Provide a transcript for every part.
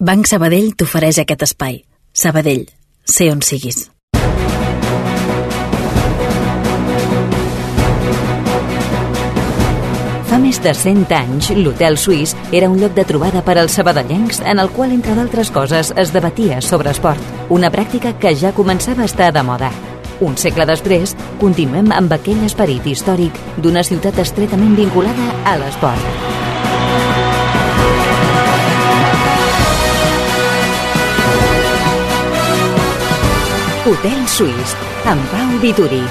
Banc Sabadell t'ofereix aquest espai. Sabadell, sé on siguis. Fa més de 100 anys, l'Hotel Suís era un lloc de trobada per als sabadellencs en el qual, entre d'altres coses, es debatia sobre esport, una pràctica que ja començava a estar de moda. Un segle després, continuem amb aquell esperit històric d'una ciutat estretament vinculada a l'esport. Hotel Suís, amb Pau Vituri.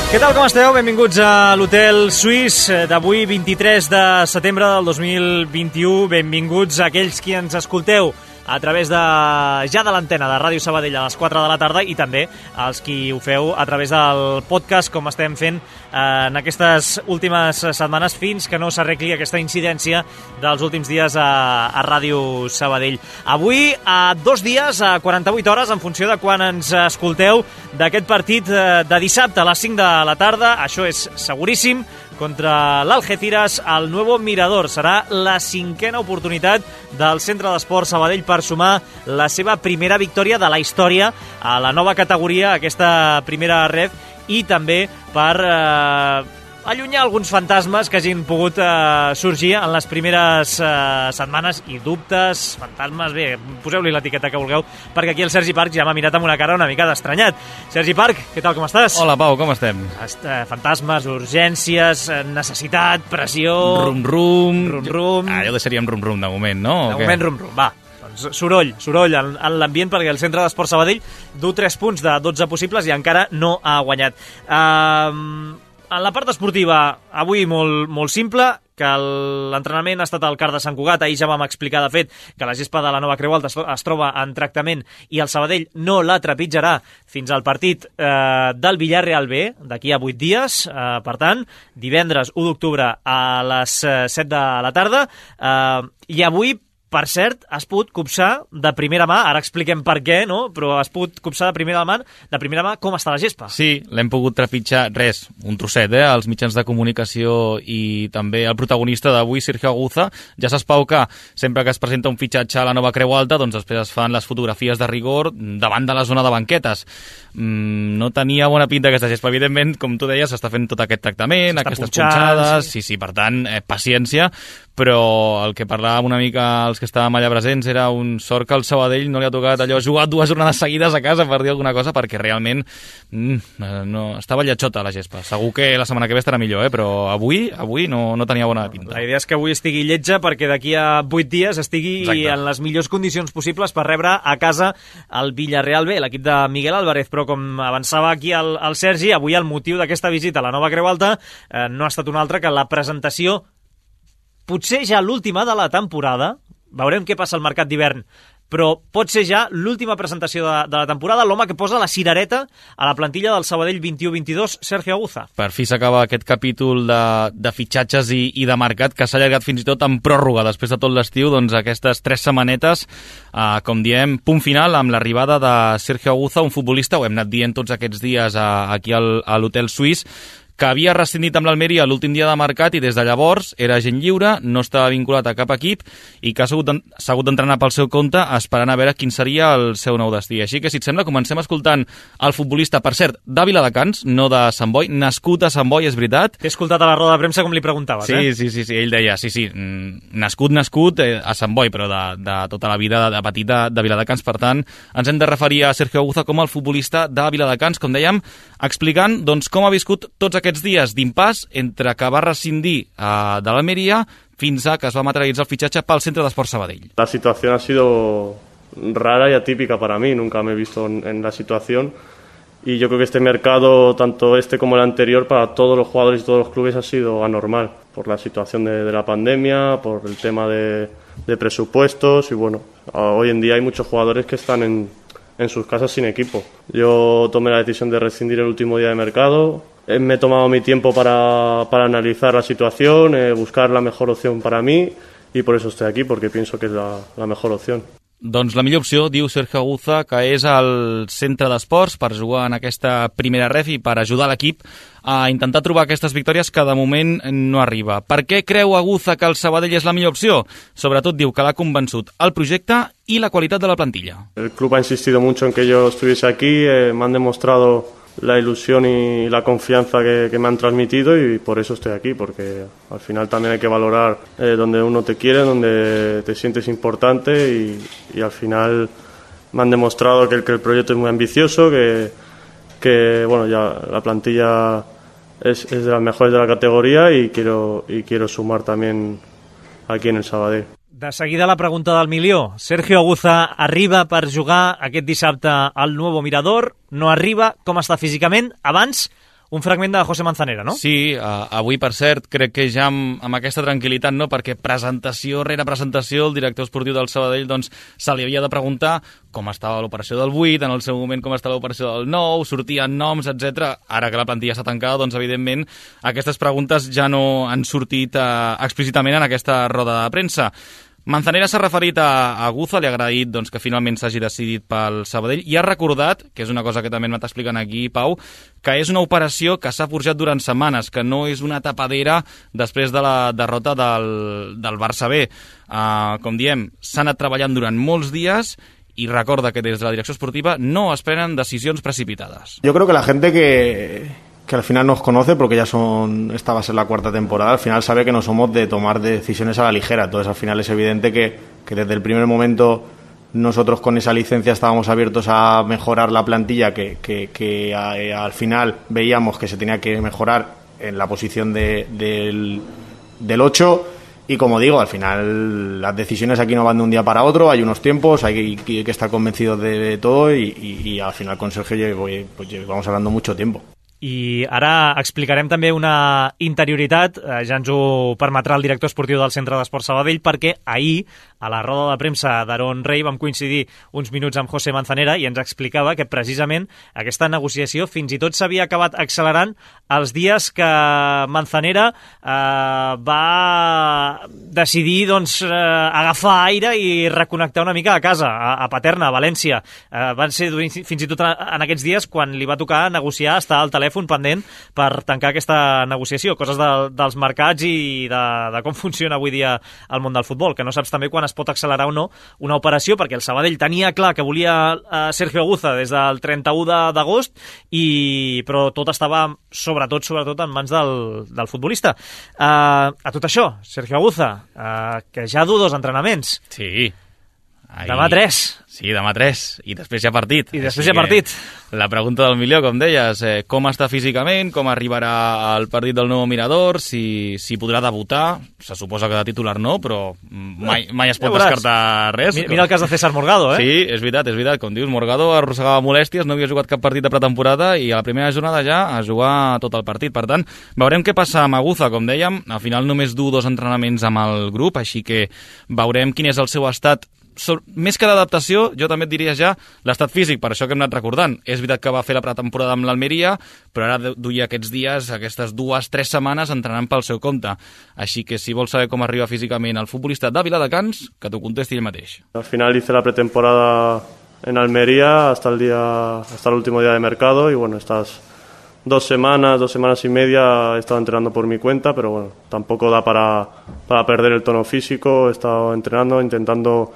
Què tal, com esteu? Benvinguts a l'Hotel Suís d'avui, 23 de setembre del 2021. Benvinguts a aquells qui ens escolteu a través de l'antena de Ràdio Sabadell a les 4 de la tarda i també els qui ho feu a través del podcast, com estem fent en aquestes últimes setmanes fins que no s'arregli aquesta incidència dels últims dies a Ràdio Sabadell. Avui, a 2 dies, a 48 hores, en funció de quan ens escolteu, d'aquest partit de dissabte a les 5 de la tarda, això és seguríssim, contra l'Algeciras, al Nuevo Mirador. Serà la 5a oportunitat del Centre d'Esport Sabadell per sumar la seva primera victòria de la història a la nova categoria, aquesta primera ref, i també per allunyar alguns fantasmes que hagin pogut sorgir en les primeres setmanes, i dubtes, fantasmes, bé, poseu-li l'etiqueta que vulgueu, perquè aquí el Sergi Parc ja m'ha mirat amb una cara una mica d'estranyat. Sergi Parc, què tal, com estàs? Hola, Pau, com estem? Fantasmes, urgències, necessitat, pressió... Rum-rum. Ja ho deixaríem rum-rum de moment, no? De moment rum-rum, va. Doncs soroll en l'ambient, perquè el Centre d'Esport Sabadell du 3 punts de 12 possibles i encara no ha guanyat. En la part esportiva, avui molt simple, que l'entrenament ha estat al CAR de Sant Cugat. Ahir ja vam explicar, de fet, que la gespa de la Nova Creu Alta es troba en tractament i el Sabadell no la trepitjarà fins al partit del Villarreal B, d'aquí a 8 dies. Per tant, divendres 1 d'octubre a les 7 de la tarda. I avui, per cert, has pogut copsar de primera mà, ara expliquem per què, no? Però has pogut copsar de primera mà com està la gespa. Sí, l'hem pogut trepitjar, un trosset, els mitjans de comunicació i també el protagonista d'avui, Sergio Aguza. Ja s'espau que sempre que es presenta un fitxatge a la Nova Creu Alta, doncs després es fan les fotografies de rigor davant de la zona de banquetes. No tenia bona pinta aquesta gespa, evidentment, com tu deies, s'està fent tot aquest tractament, aquestes punxades, sí, per tant, paciència, però el que parlàvem una mica els que estàvem allà presents era un sort que el Sabadell no li ha tocat allò jugar 2 jornades seguides a casa, per dir alguna cosa, perquè realment no estava lletjota la gespa. Segur que la setmana que ve estarà millor, però avui no tenia bona pinta. La idea és que avui estigui lletja perquè d'aquí a 8 dies estigui en les millors condicions possibles per rebre a casa el Villarreal B, l'equip de Miguel Álvarez. Però com avançava aquí el Sergi, avui el motiu d'aquesta visita a la Nova Creu Alta no ha estat un altre que la presentació, potser ja l'última de la temporada. Veurem què passa al mercat d'hivern, però pot ser ja l'última presentació de la temporada, l'home que posa la cirereta a la plantilla del Sabadell 21-22, Sergio Aguza. Per fi s'acaba aquest capítol de fitxatges i de mercat que s'ha allargat fins i tot en pròrroga després de tot l'estiu. Doncs aquestes 3 setmanetes, com diem, punt final amb l'arribada de Sergio Aguza, un futbolista, ho hem anat dient tots aquests dies aquí a l'Hotel Suís, que havia rescindit amb l'Almeria l'últim dia de mercat i des de llavors era agent lliure, no estava vinculat a cap equip i que s'ha hagut d'entrenar pel seu compte esperant a veure quin seria el seu nou destí. Així que, si et sembla, comencem escoltant el futbolista, per cert, de Viladecans, no de Sant Boi, nascut a Sant Boi, és veritat. T'he escoltat a la roda de premsa com li preguntaves, Sí, ell deia, nascut a Sant Boi, però de tota la vida de petit de Viladecans. Per tant, ens hem de referir a Sergio Aguza com el futbolista de Viladecans, com dèiem, explicant doncs, com ha viscut tots aquests dies d'impàs entre que va rescindir de l'Almeria fins a que es va materialitzar el fitxatge pel Centre d'Esport Sabadell. La situación ha sido rara y atípica para mí, nunca me he visto en la situación y yo creo que este mercado, tanto este como el anterior, para todos los jugadores y todos los clubes ha sido anormal por la situación de la pandemia, por el tema de presupuestos y bueno, hoy en día hay muchos jugadores que están en sus casas sin equipo. Yo tomé la decisión de rescindir el último día de mercado. Me he tomado mi tiempo para analizar la situación, buscar la mejor opción para mí y por eso estoy aquí, porque pienso que es la mejor opción. Doncs la millor opció, diu Sergio Aguza, que és el centre d'esports per jugar en aquesta primera ref i per ajudar l'equip a intentar trobar aquestes victòries que de moment no arriba. Per què creu Aguza que el Sabadell és la millor opció? Sobretot diu que l'ha convençut el projecte i la qualitat de la plantilla. El club ha insistido mucho en que yo estuviese aquí, me han demostrado la ilusión y la confianza que me han transmitido y por eso estoy aquí, porque al final también hay que valorar donde uno te quiere, donde te sientes importante y al final me han demostrado que el proyecto es muy ambicioso, que bueno, ya la plantilla es de las mejores de la categoría y quiero sumar también aquí en el Sabadell. De seguida la pregunta del milió. Sergio Aguza arriba per jugar aquest dissabte al Nuevo Mirador, no arriba, com està físicament? Abans, un fragment de José Manzanera, no? Sí, avui, per cert, crec que ja amb aquesta tranquil·litat, no? Perquè presentació rere presentació, el director esportiu del Sabadell doncs, se li havia de preguntar com estava l'operació del 8, en el seu moment com estava l'operació del 9, sortien noms, etc. Ara que la plantilla està tancada, doncs, evidentment, aquestes preguntes ja no han sortit explícitament en aquesta roda de premsa. Manzanera s'ha referit a Aguza, li ha agraït doncs, que finalment s'hagi decidit pel Sabadell i ha recordat, que és una cosa que també m'ha explicant aquí, Pau, que és una operació que s'ha forjat durant setmanes, que no és una tapadera després de la derrota del Barça B. Com diem, s'ha anat treballant durant molts dies y recorda que des de la direcció esportiva no es prenen decisions precipitades. Yo creo que la gente que al final nos conoce, porque ya esta va a ser la 4ª temporada, al final sabe que no somos de tomar decisiones a la ligera. Entonces al final es evidente que desde el primer momento nosotros con esa licencia estábamos abiertos a mejorar la plantilla que al final veíamos que se tenía que mejorar en la posición del 8. Y como digo, al final las decisiones aquí no van de un día para otro, hay unos tiempos, hay que estar convencidos de todo y al final con Sergio llevamos hablando mucho tiempo. I ara explicarem també una interioritat, ja ens ho permetrà el director esportiu del Centre d'Esports Sabadell, perquè ahir, a la roda de premsa d'Aaron Rey, vam coincidir uns minuts amb José Manzanera i ens explicava que precisament aquesta negociació fins i tot s'havia acabat accelerant els dies que Manzanera va decidir agafar aire i reconnectar una mica a casa, a Paterna, a València. Van ser fins i tot en aquests dies quan li va tocar negociar, estar al telèfon pendent per tancar aquesta negociació, coses dels mercats i de com funciona avui dia el món del futbol, que no saps també quan es pot accelerar o no una operació, perquè el Sabadell tenia clar que volia Sergio Aguza des del 31 d'agost, però tot estava sobretot en mans del futbolista. A tot això, Sergio Aguza, que ja du 2 entrenaments. Sí. Demà 3. Sí, demà 3, i després hi ha partit. I després hi ha partit. La pregunta del milió, com deies, com està físicament, com arribarà al partit del Nuevo Mirador, si podrà debutar, se suposa que de titular no, però mai es pot descartar res. Mira el cas de César Morgado, Sí, és veritat, com dius, Morgado arrossegava molèsties, no havia jugat cap partit de pretemporada i a la primera jornada ja a jugar tot el partit. Per tant, veurem què passa amb Aguza, com dèiem, al final només du 2 entrenaments amb el grup, així que veurem quin és el seu estat. Més que d'adaptació, jo també et diria ja l'estat físic, per això que hem anat recordant. És veritat que va fer la pretemporada amb l'Almeria, però ara duia aquests dies, aquestes 2-3 setmanes entrenant pel seu compte. Així que si vols saber com arriba físicament el futbolista de Viladecans, que t'ho contesti ell mateix. Al final hice la pretemporada en Almería hasta el último día de mercado y bueno, estas 2 semanas y media he estado entrenando por mi cuenta, pero bueno, tampoco da para perder el tono físico. He estado entrenando, intentando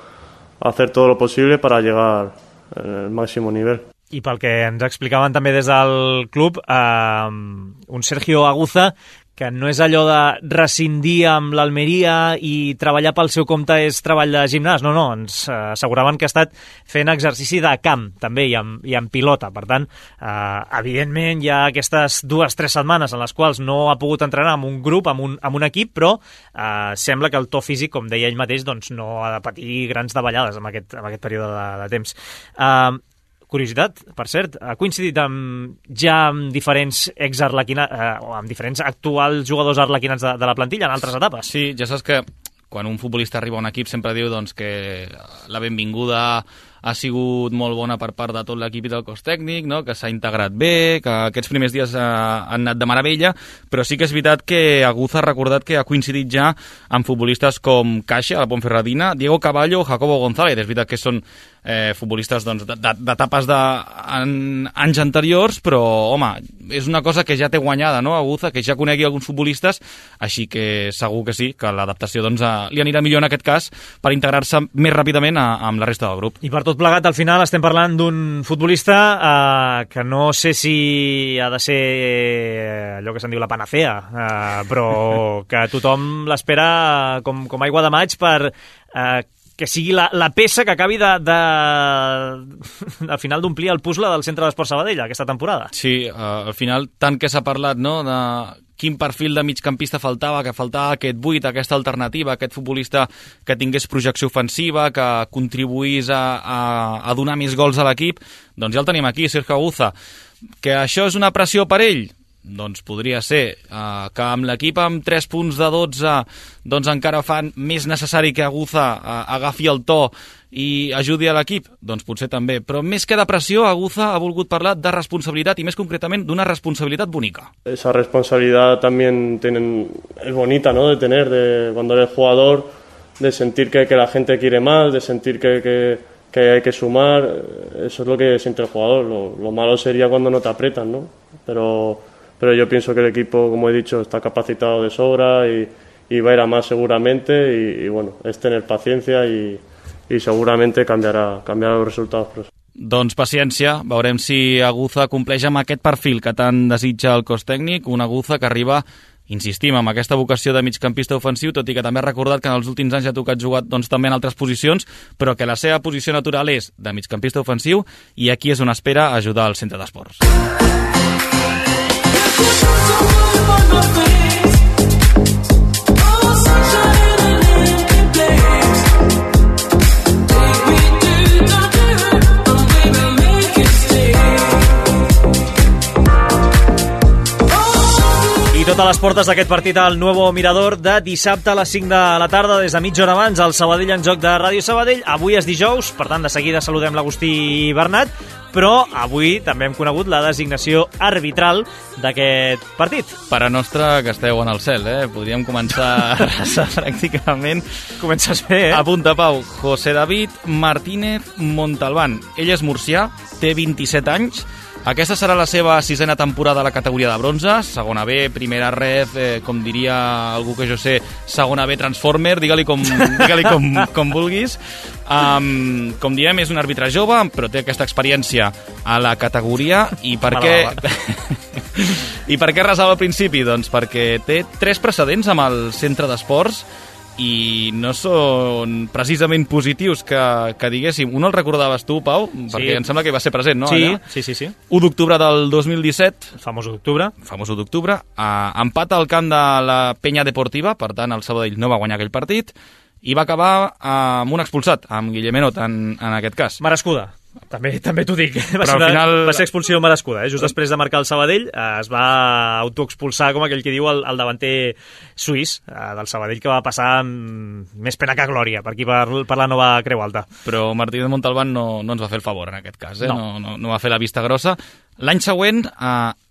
hacer todo lo posible para llegar al máximo nivel. I pel que ens explicaven també des del club, un Sergio Aguza que no és allò de rescindir amb l'Almeria i treballar pel seu compte és treball de gimnàs, no, ens asseguraven que ha estat fent exercici de camp també i amb pilota, per tant evidentment hi ha aquestes 2-3 setmanes en les quals no ha pogut entrenar amb un grup, amb un equip, però sembla que el to físic, com deia ell mateix, doncs no ha de patir grans davallades en aquest període de temps. Curiositat, per cert, ha coincidit amb diferents amb diferents actuals jugadors arlequinats de la plantilla en altres etapes. Sí, ja saps que quan un futbolista arriba a un equip sempre diu doncs, que la benvinguda ha sigut molt bona per part de tot l'equip i del cos tècnic, no? Que s'ha integrat bé, que aquests primers dies han anat de meravella, però sí que és veritat que Aguza ha recordat que ha coincidit ja amb futbolistes com Caixa, la Ponferradina, Diego Caballo, Jacobo González. És veritat que són futbolistes d'etapes d'anys anteriors, però, home, és una cosa que ja té guanyada, no, Aguza, que ja conegui alguns futbolistes, així que segur que sí, que l'adaptació doncs, li anirà millor en aquest cas per integrar-se més ràpidament amb la resta del grup. I per tot plegat, al final estem parlant d'un futbolista que no sé si ha de ser allò que se'n diu la panacea, però que tothom l'espera com aigua de maig per que sigui la peça que acabi al final d'omplir el puzzle del Centre d'Esports Sabadell aquesta temporada. Sí, al final tant que s'ha parlat, no?, de quin perfil de migcampista faltava, que faltava aquest 8, aquesta alternativa, aquest futbolista que tingués projecció ofensiva, que contribuís a donar més gols a l'equip, doncs ja el tenim aquí, Sergio Aguza. Que això és una pressió per ell? Doncs podria ser. Que amb l'equip amb 3 punts de 12 doncs encara fan més necessari que Aguza agafi el to i ajudi a l'equip? Doncs potser també. Però més que de pressió, Aguza ha volgut parlar de responsabilitat i més concretament d'una responsabilitat bonica. Esa responsabilidad también es bonita, ¿no?, de tener, cuando eres jugador, de sentir que la gente quiere más, de sentir que hay que sumar. Eso es lo que siente el jugador. Lo malo sería cuando no te apretan, ¿no? Pero yo pienso que el equipo, como he dicho, está capacitado de sobra y va a ir a más seguramente y bueno, es tener paciencia y seguramente cambiarà els resultats. Doncs paciència, veurem si Aguza compleix amb aquest perfil que tant desitja el cos tècnic, un Aguza que arriba, insistim, amb aquesta vocació de migcampista ofensiu, tot i que també ha recordat que en els últims anys ha tocat jugar doncs, també en altres posicions, però que la seva posició natural és de migcampista ofensiu i aquí és on espera ajudar al Centre d'Esports. Tot a les portes d'aquest partit al Nuevo Mirador de dissabte a les 5 de la tarda, des de mitja hora abans, al Sabadell en joc de Ràdio Sabadell. Avui és dijous, per tant, de seguida saludem l'Agustí Bernat, però avui també hem conegut la designació arbitral d'aquest partit. Pare nostre que esteu en el cel, Podríem començar a resar pràcticament. Comences bé, Apunta, Pau. José David Martínez Montalbán. Ell és murcià, té 27 anys. Aquesta serà la seva 6a temporada a la categoria de bronze, segona B, primera red, com diria algú que jo sé, segona B Transformer, digue-li com vulguis. Com diem, és un àrbitre jove, però té aquesta experiència a la categoria. I per què... I per què resava al principi? Doncs perquè té 3 precedents amb el Centre d'Esports i no són precisament positius que diguéssim. Un el recordaves tu, Pau? Perquè em sembla que va ser present, no? Sí, allà? sí. 1 d'octubre del 2017. El famós 1 d'octubre. Empat al camp de la Penya Deportiva, per tant el Sabadell no va guanyar aquell partit, i va acabar amb un expulsat, amb Guillemenot en aquest cas. Merescuda. També t'ho dic. Va ser expulsió merescuda. Just després de marcar el Sabadell es va autoexpulsar, com aquell que diu, el davanter suís del Sabadell, que va passar amb més pena que glòria per aquí, per la nova Creu Alta. Però Martínez Montalbán no ens va fer el favor en aquest cas, No va fer la vista grossa. L'any següent,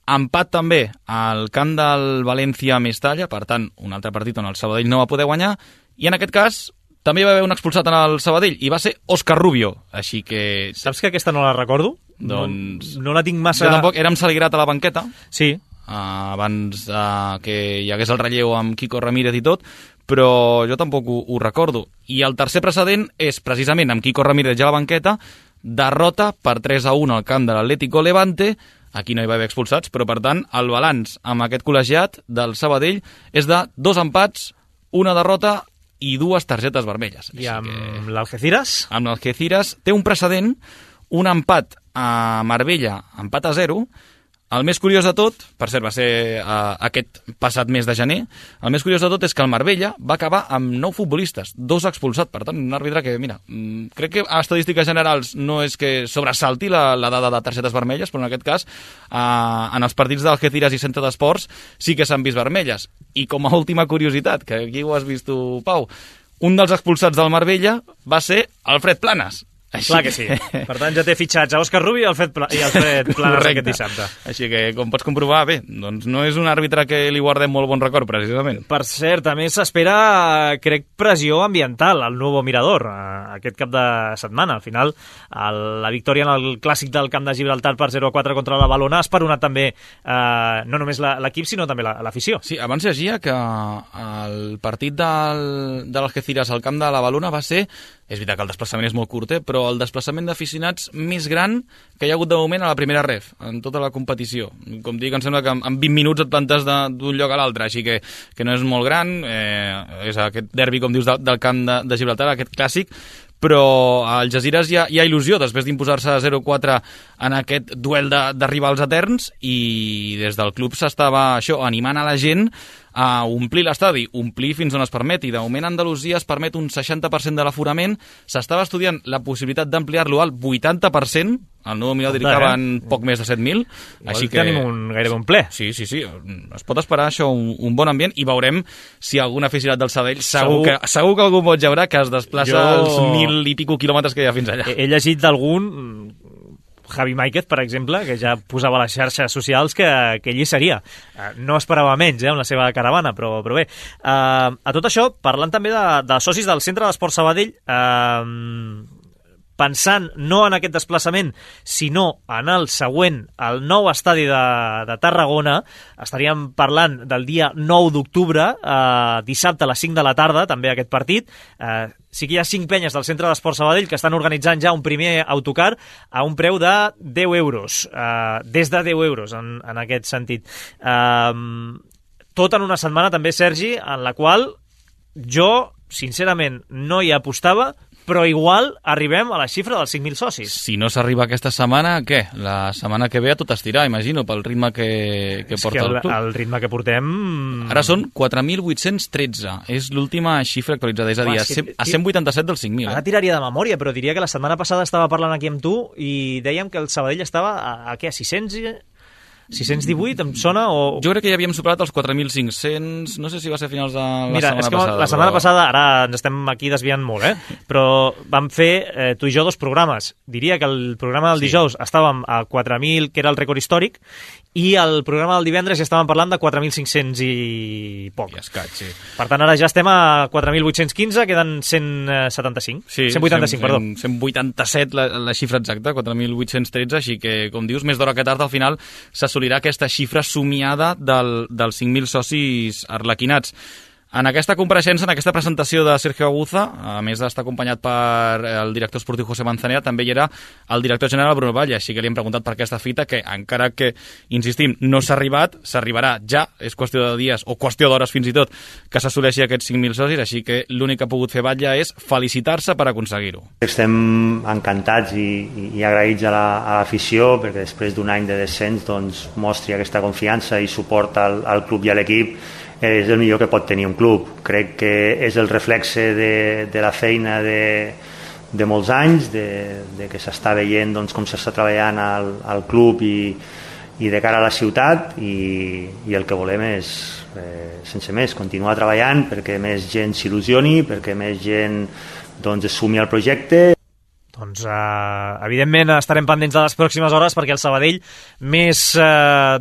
empat també al camp del València Mestalla, per tant, un altre partit on el Sabadell no va poder guanyar, i en aquest cas també va haver un expulsat en el Sabadell, i va ser Òscar Rubio, així que... Saps que aquesta no la recordo? Doncs... No la tinc massa... Jo tampoc, érem Saligrat a la banqueta. Sí. Abans que hi hagués el relleu amb Quico Ramírez i tot, però jo tampoc ho recordo. I el tercer precedent és precisament amb Quico Ramírez ja a la banqueta, derrota per 3-1 al camp de l'Atlético Levante. Aquí no hi va haver expulsats, però per tant el balanç amb aquest col·legiat del Sabadell és de 2 empats, 1 derrota i 2 targetes vermelles. I amb l'Algeciras? Amb l'Algeciras té un precedent, un empat a Marbella, empat a 0. El més curiós de tot, per cert, va ser aquest passat mes de gener, el més curiós de tot és que el Marbella va acabar amb 9 futbolistes, 2 expulsats. Per tant, un àrbitre que, mira, crec que a estadístiques generals no és que sobresalti la dada de targetes vermelles, però en aquest cas, en els partits d'Algeciras i Centre d'Esports sí que s'han vist vermelles. I com a última curiositat, que aquí ho has vist tu, Pau, un dels expulsats del Marbella va ser Alfred Planas, Clar que sí. Per tant, ja té fitxats a Òscar Rubi i Alfred Planas aquest dissabte. Així que, com pots comprovar, bé, doncs no és un àrbitre que li guardem molt bon record, precisament. Per cert, a més s'espera, crec, pressió ambiental al Nuevo Mirador aquest cap de setmana. Al final, la victòria en el clàssic del Camp de Gibraltar per 0-4 contra la Valona ha esperonat també no només l'equip, sinó també l'afició. Sí, abans llegia que el partit de l'Algeciras al Camp de la Valona va ser, és veritat que el desplaçament és molt curt, però el desplaçament d'aficionats més gran que hi ha hagut de moment a la primera ref, en tota la competició. Com dic, em sembla que en 20 minuts et plantes d'un lloc a l'altre, així que no és molt gran, és aquest derbi, com dius, del Camp de Gibraltar, aquest clàssic, però al Algeciras hi ha il·lusió després d'imposar-se 0-4 en aquest duel de rivals eterns, i des del club s'estava animant a la gent a omplir l'estadi, omplir fins on es permeti. De moment a Andalusia es permet un 60% de l'aforament, s'estava estudiant la possibilitat d'ampliar-lo al 80%, el nou Mirador dedicava en poc més de 7.000, així que tenim gairebé un ple. Sí, es pot esperar això, un bon ambient, i veurem si algun aficionat del Sabadell, segur que algú pot veure que es desplaça els 1.000 i pico quilòmetres que hi ha fins allà. He llegit d'algun, Javi Máiquez, per exemple, que ja posava a les xarxes socials que ell hi seria. No esperava menys, amb la seva caravana, però bé. A tot això, parlant també de socis del Centre d'Esport Sabadell, pensant no en aquest desplaçament, sinó en el següent, el nou estadi de Tarragona, estaríem parlant del dia 9 d'octubre, dissabte a les 5 de la tarda, també aquest partit. Sí que hi ha 5 penyes del Centre d'Esport Sabadell que estan organitzant ja un primer autocar a un preu de 10 euros, des de 10 euros en aquest sentit. Tot en una setmana també, Sergi, en la qual jo, sincerament, no hi apostava, però igual arribem a la xifra dels 5.000 socis. Si no s'arriba aquesta setmana, què? La setmana que ve a tot estirar, imagino, pel ritme que porta el club. El ritme que portem... Ara són 4.813. És l'última xifra actualitzada, és a dir, a 187 dels 5.000. Ara tiraria de memòria, però diria que la setmana passada estava parlant aquí amb tu i dèiem que el Sabadell estava a 618, em sona? Jo crec que ja havíem superat els 4.500, no sé si va ser a finals de la setmana passada. Mira, la setmana passada, ara ens estem aquí desviant molt, però vam fer tu i jo 2 programes. Diria que el programa del dijous estàvem a 4.000, que era el rècord històric, i el programa del divendres ja estàvem parlant de 4.500 i poc. I escaig, sí. Per tant, ara ja estem a 4.815, queden 175. Sí, 185, perdó. 187 la xifra exacta, 4.813, així que, com dius, més d'hora que tard, al final s'assolirà aquesta xifra somiada dels 5.000 socis arlequinats. En aquesta compareixença, en aquesta presentació de Sergio Aguza, a més d'estar acompanyat per el director esportiu José Manzanera, també hi era el director general Bruno Valle, així que li hem preguntat per aquesta fita, que encara que, insistim, no s'ha arribat, s'arribarà ja, és qüestió de dies o qüestió d'hores fins i tot, que s'assoleixi aquests 5.000 socis, així que l'únic que ha pogut fer Batlle és felicitar-se per aconseguir-ho. Estem encantats i agraïts a l'afició, perquè després d'un any de descens doncs, mostri aquesta confiança i suport al club i a l'equip. És el millor que pot tenir un club. Crec que és el reflexe de la feina de molts anys, de que s'està veient doncs, com s'està treballant al club i de cara a la ciutat, i el que volem és, sense més, continuar treballant perquè més gent s'il·lusioni, perquè més gent doncs, es sumi al projecte. Doncs, evidentment, estarem pendents de les pròximes hores perquè el Sabadell, més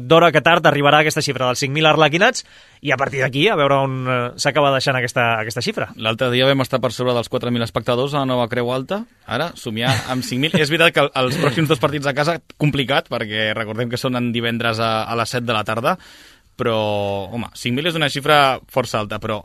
d'hora que tard, arribarà a aquesta xifra dels 5.000 arlequinats, i a partir d'aquí a veure on s'acaba deixant aquesta xifra. L'altre dia vam estar per sobre dels 4.000 espectadors a la nova Creu Alta, ara somiar amb 5.000. És veritat que els pròxims 2 partits a casa, complicat, perquè recordem que són en divendres a les 7 de la tarda, però, home, 5.000 és una xifra força alta, però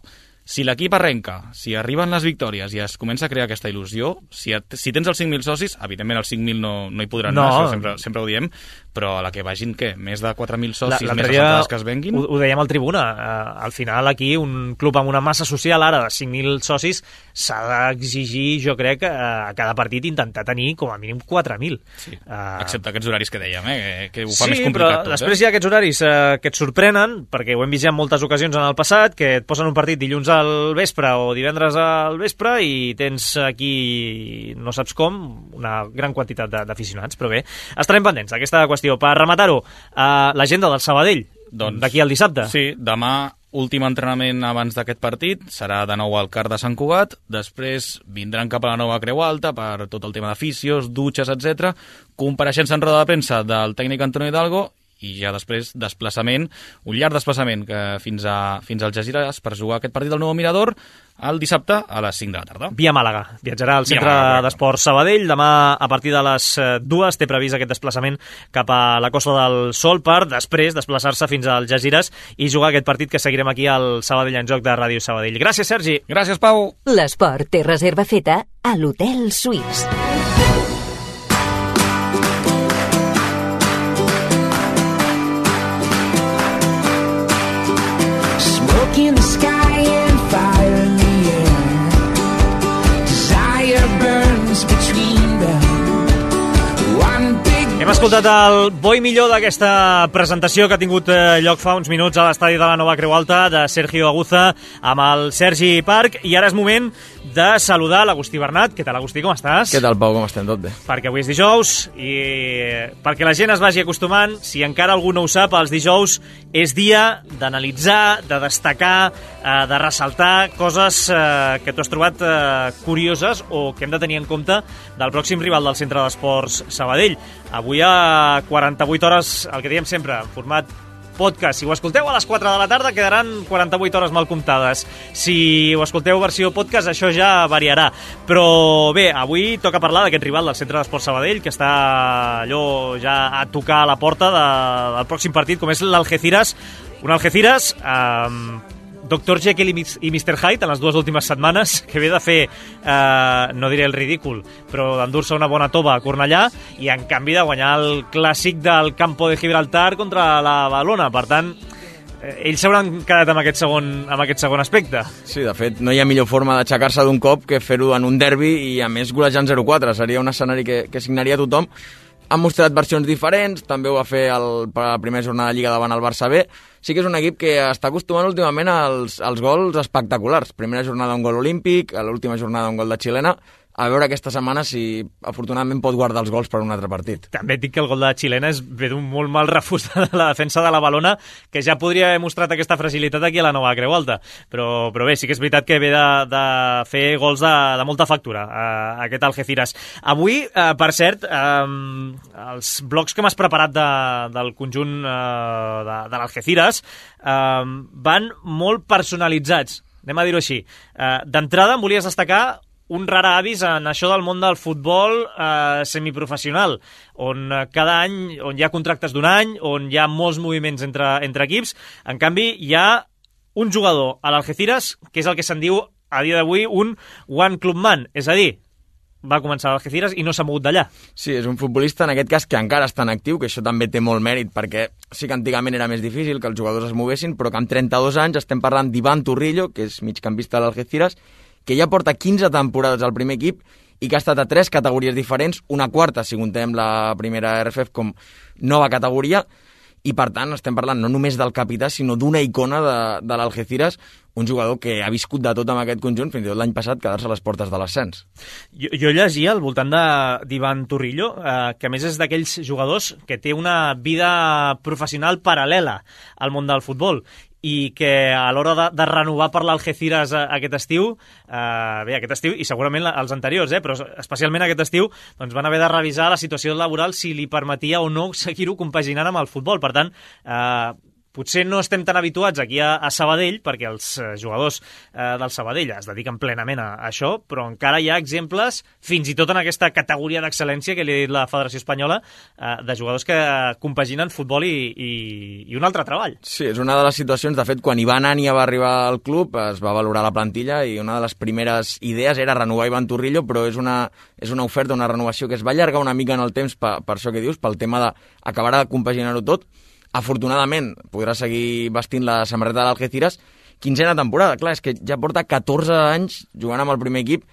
si l'equip arrenca, si arriben les victòries i es comença a crear aquesta il·lusió, si tens els 5.000 socis, evidentment els 5.000 no hi podran anar, això sempre ho diem, però a la que vagin, què? Més de 4.000 socis, més les entrades que es venguin? Ho dèiem al Tribuna, al final aquí un club amb una massa social ara de 5.000 socis s'ha d'exigir, jo crec, a cada partit intentar tenir com a mínim 4.000. Sí, excepte aquests horaris que dèiem, que ho fa més complicat tot. Sí, però després hi ha aquests horaris que et sorprenen, perquè ho hem vist ja en moltes ocasions en el passat, que et posen un partit dilluns al vespre o divendres al vespre i tens aquí, no saps com, una gran quantitat d'aficionats, però bé, estarem pendents d'aquesta qüestió. Per rematar-ho, l'agenda del Sabadell, d'aquí al dissabte. Sí, demà últim entrenament abans d'aquest partit serà de nou al CAR de Sant Cugat, després vindran cap a la nova Creu Alta per tot el tema de fisios, dutxes, etc. Compareixença en roda de premsa del tècnic Antonio Hidalgo i ja després desplaçament, un llarg desplaçament fins al Algeciras per jugar aquest partit del Nou Mirador el dissabte a les 5 de la tarda. Via Màlaga. Viatjarà al Centre d'Esports Sabadell. Demà, a partir de les 2, té previst aquest desplaçament cap a la Costa del Sol per després desplaçar-se fins al Algeciras i jugar aquest partit que seguirem aquí al Sabadell en Joc de Ràdio Sabadell. Gràcies, Sergi. Gràcies, Pau. L'esport té reserva feta a l'Hotel Suís. In the sky and fire in the air, desire burns between them. One big Hem escoltat el bo i millor d'aquesta presentació que ha tingut lloc fa uns minuts a l'estadi de la Nova Creu Alta de Sergio Aguza amb el Sergi Parc, i ara és moment de saludar l'Agustí Bernat. Què tal, Agustí, com estàs? Què tal, Pau, com estem? Tot bé. Perquè avui és dijous i perquè la gent es vagi acostumant, si encara algú no ho sap, els dijous és dia d'analitzar, de destacar, de ressaltar coses que tu has trobat curioses o que hem de tenir en compte del pròxim rival del Centre d'Esports Sabadell. Avui a 48 hores, el que diem sempre, en format podcast. Si ho escolteu a les 4 de la tarda, quedaran 48 hores mal comptades. Si ho escolteu versió podcast, això ja variarà. Però bé, avui toca parlar d'aquest rival del Centre d'Esports Sabadell, que està allò ja a tocar a la porta del pròxim partit, com és l'Algeciras. Un Algeciras Dr. Jekyll i Mr. Hyde en les dues últimes setmanes, que ve de fer, no diré el ridícul, però d'endur-se una bona tova a Cornellà i en canvi de guanyar el clàssic del Campo de Gibraltar contra la Badalona. Per tant, ells s'hauran quedat amb aquest segon aspecte. Sí, de fet, no hi ha millor forma d'aixecar-se d'un cop que fer-ho en un derbi i a més golejant 0-4. Seria un escenari que signaria tothom. Han mostrat versions diferents, també ho va fer per la primera jornada de Lliga davant el Barça B. Sí que és un equip que està acostumant últimament als gols espectaculars. Primera jornada un gol olímpic, a l'última jornada un gol de xilena. A veure aquesta setmana si afortunadament pot guardar els gols per un altre partit. També et dic que el gol de xilena ve d'un molt mal refús de la defensa de la Badalona, que ja podria haver mostrat aquesta fragilitat aquí a la Nova Creu Alta. Però bé, sí que és veritat que ve de fer gols de molta factura, aquest Algeciras. Avui, per cert, els blocs que m'has preparat del conjunt de l'Algeciras van molt personalitzats, anem a dir-ho així. D'entrada em volies destacar un rara avis en això del món del futbol semiprofessional, on cada any on hi ha contractes d'un any, on hi ha molts moviments entre equips. En canvi, hi ha un jugador a l'Algeciras que és el que se'n diu a dia d'avui un one club man, és a dir, va començar a l'Algeciras i no s'ha mogut d'allà. Sí, és un futbolista en aquest cas que encara està en actiu, que això també té molt mèrit, perquè sí que antigament era més difícil que els jugadors es moguessin, però que amb 32 anys estem parlant d'Ivan Turrillo, que és migcampista de l'Algeciras, que ja porta 15 temporades al primer equip i que ha estat a 3 categories diferents, una quarta si contem la primera RFF com nova categoria, i per tant estem parlant no només del capità, sinó d'una icona de l'Algeciras, un jugador que ha viscut de tot amb aquest conjunt, fins i tot l'any passat quedar-se a les portes de l'ascens. Jo llegia al voltant d'Ivan Turrillo, que a més és d'aquells jugadors que té una vida professional paral·lela al món del futbol, i que a l'hora de renovar per l'Algeciras aquest estiu, aquest estiu i segurament els anteriors, però especialment aquest estiu, doncs van haver de revisar la situació laboral si li permetia o no seguir-ho compaginant amb el futbol. Per tant, potser no estem tan habituats aquí a Sabadell, perquè els jugadors del Sabadell es dediquen plenament a això, però encara hi ha exemples, fins i tot en aquesta categoria d'excel·lència que li ha dit la Federació Espanyola, de jugadors que compaginen futbol i un altre treball. Sí, és una de les situacions. De fet, quan Ivan Ania va arribar al club, es va valorar la plantilla i una de les primeres idees era renovar Ivan Turrillo, però és una oferta, una renovació que es va allargar una mica en el temps per això que dius, pel tema d'acabar de compaginar-ho tot. Afortunadament podrà seguir vestint la samarreta de l'Algeciras. 15a temporada, clar, és que ja porta 14 anys jugant amb el primer equip.